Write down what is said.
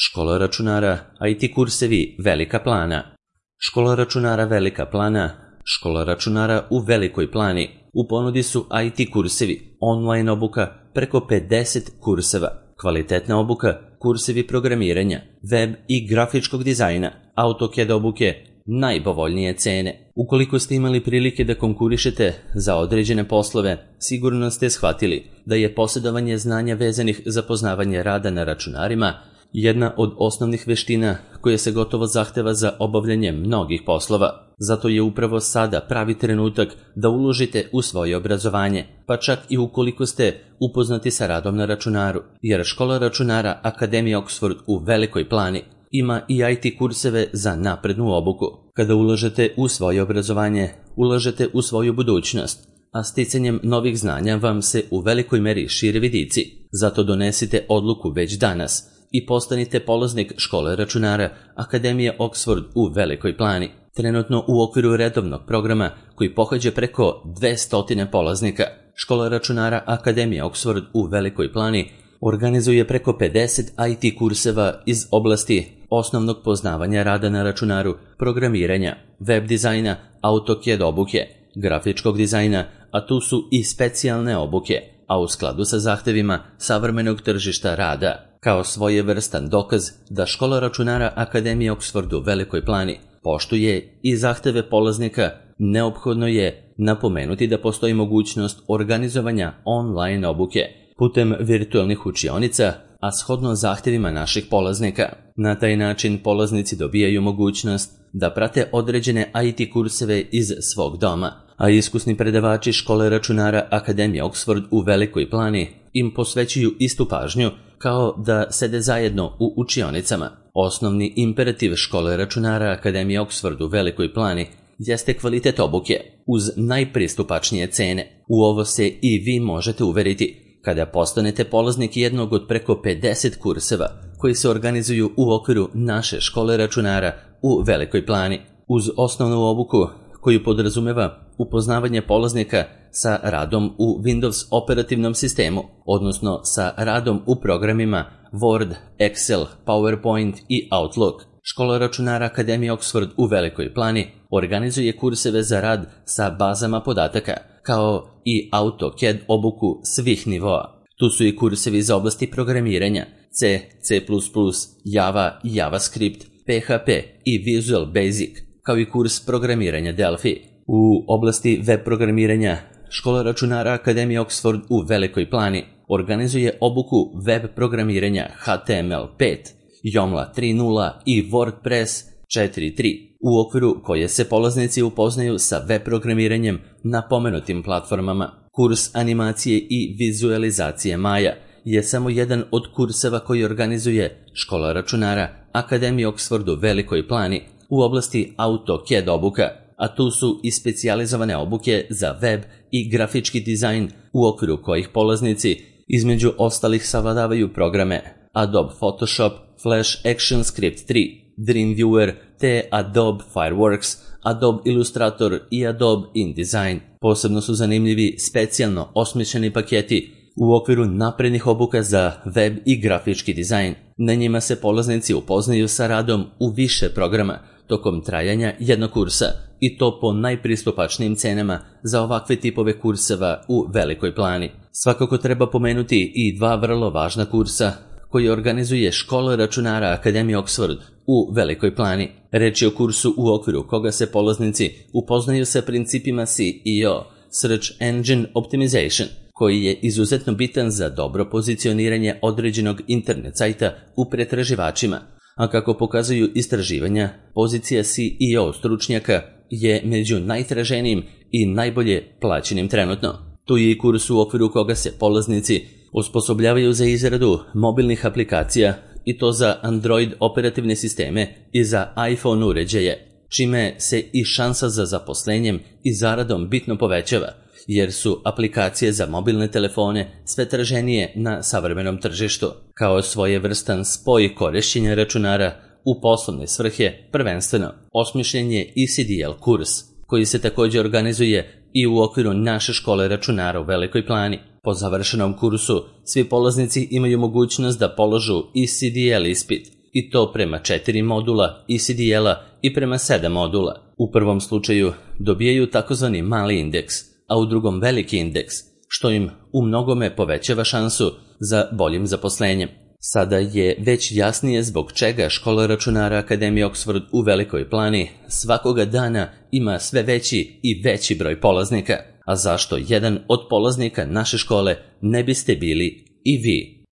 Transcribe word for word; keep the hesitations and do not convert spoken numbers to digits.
Škola računara I T kursevi Velika Plana. Škola računara Velika Plana, škola računara u Velikoj Plani. U ponudi su I T kursevi, online obuka, preko pedeset kurseva, kvalitetna obuka, kursevi programiranja, web i grafičkog dizajna, AutoCAD obuke, najpovoljnije cene. Ukoliko ste imali prilike da konkurišete za određene poslove, sigurno ste shvatili da je posjedovanje znanja vezanih za poznavanje rada na računarima jedna od osnovnih veština koje se gotovo zahteva za obavljanje mnogih poslova. Zato je upravo sada pravi trenutak da uložite u svoje obrazovanje, pa čak i ukoliko ste upoznati sa radom na računaru, jer škola računara Akademija Oxford u Velikoj Plani ima i I T kurseve za naprednu obuku. Kada ulažete u svoje obrazovanje, ulažete u svoju budućnost, a sticanjem novih znanja vam se u velikoj meri šire vidici. Zato donesite odluku već danas i postanite polaznik škole računara Akademije Oxford u Velikoj Plani. Trenutno u okviru redovnog programa koji pohađa preko dvesta polaznika, škola računara Akademije Oxford u Velikoj Plani organizuje preko pedeset I T kurseva iz oblasti osnovnog poznavanja rada na računaru, programiranja, web dizajna, AutoCAD obuke, grafičkog dizajna, a tu su i specijalne obuke, a u skladu sa zahtevima savremenog tržišta rada. Kao svojevrstan dokaz da škola računara Akademije Oxford u Velikoj Plani poštuje i zahteve polaznika, neophodno je napomenuti da postoji mogućnost organizovanja online obuke putem virtualnih učionica, a shodno zahtevima naših polaznika. Na taj način polaznici dobijaju mogućnost da prate određene I T kurseve iz svog doma, a iskusni predavači škole računara Akademije Oxford u Velikoj Plani im posvećuju istu pažnju kao da sede zajedno u učionicama. Osnovni imperativ škole računara Akademije Oxford u Velikoj Plani jeste kvalitet obuke uz najpristupačnije cene. U ovo se i vi možete uveriti kada postanete polaznik jednog od preko pedeset kurseva koji se organizuju u okviru naše škole računara u Velikoj Plani. Uz osnovnu obuku koju podrazumeva upoznavanje polaznika sa radom u Windows operativnom sistemu, odnosno sa radom u programima Word, Excel, PowerPoint i Outlook. Škola računara Akademije Oxford u Velikoj Plani organizuje kurseve za rad sa bazama podataka, kao i AutoCAD obuku svih nivoa. Tu su i kursevi za oblasti programiranja, C, C plus plus, Java, JavaScript, P H P i Visual Basic, kao i kurs programiranja Delphi. U oblasti web programiranja, škola računara Akademije Oxford u Velikoj Plani organizuje obuku web programiranja H T M L pet, Joomla tri nula i WordPress četiri tri, u okviru koje se polaznici upoznaju sa web programiranjem na pomenutim platformama. Kurs animacije i vizualizacije Maja je samo jedan od kurseva koji organizuje škola računara Akademije Oxford u Velikoj Plani u oblasti AutoCAD obuka, a tu su i specijalizovane obuke za web i grafički dizajn u okviru kojih polaznici između ostalih savladavaju programe Adobe Photoshop, Flash Action Script tri, Dreamweaver te Adobe Fireworks, Adobe Illustrator i Adobe InDesign. Posebno su zanimljivi specijalno osmišljeni paketi u okviru naprednih obuka za web i grafički dizajn. Na njima se polaznici upoznaju sa radom u više programa tokom trajanja jednog kursa, i to po najpristupačnijim cenama za ovakve tipove kurseva u Velikoj Plani. Svakako treba pomenuti i dva vrlo važna kursa koji organizuje škola računara Akademije Oxford u Velikoj Plani. Reč je o kursu u okviru koga se polaznici upoznaju sa principima C E O, Search Engine Optimization, koji je izuzetno bitan za dobro pozicioniranje određenog internet sajta u pretraživačima, a kako pokazuju istraživanja, pozicija C E O stručnjaka je među najtraženijim i najbolje plaćenim trenutno. Tu je i kurs u okviru koga se polaznici osposobljavaju za izradu mobilnih aplikacija, i to za Android operativne sisteme i za iPhone uređaje, čime se i šansa za zaposlenjem i zaradom bitno povećava, jer su aplikacije za mobilne telefone sve traženije na savremenom tržištu. Kao svojevrstan spoj korišćenja računara u poslovne svrhe, prvenstveno osmišljen je I C D L kurs, koji se također organizuje i u okviru naše škole računara u Velikoj Plani. Po završenom kursu, svi polaznici imaju mogućnost da položu I C D L ispit, i to prema četiri modula E C D L-a i prema sedam modula. U prvom slučaju dobijaju takozvani mali indeks, a u drugom veliki indeks, što im u mnogome povećava šansu za boljim zaposlenjem. Sada je već jasnije zbog čega Škola računara Akademije Oxford u Velikoj Plani svakoga dana ima sve veći i veći broj polaznika, a zašto jedan od polaznika naše škole ne biste bili i vi.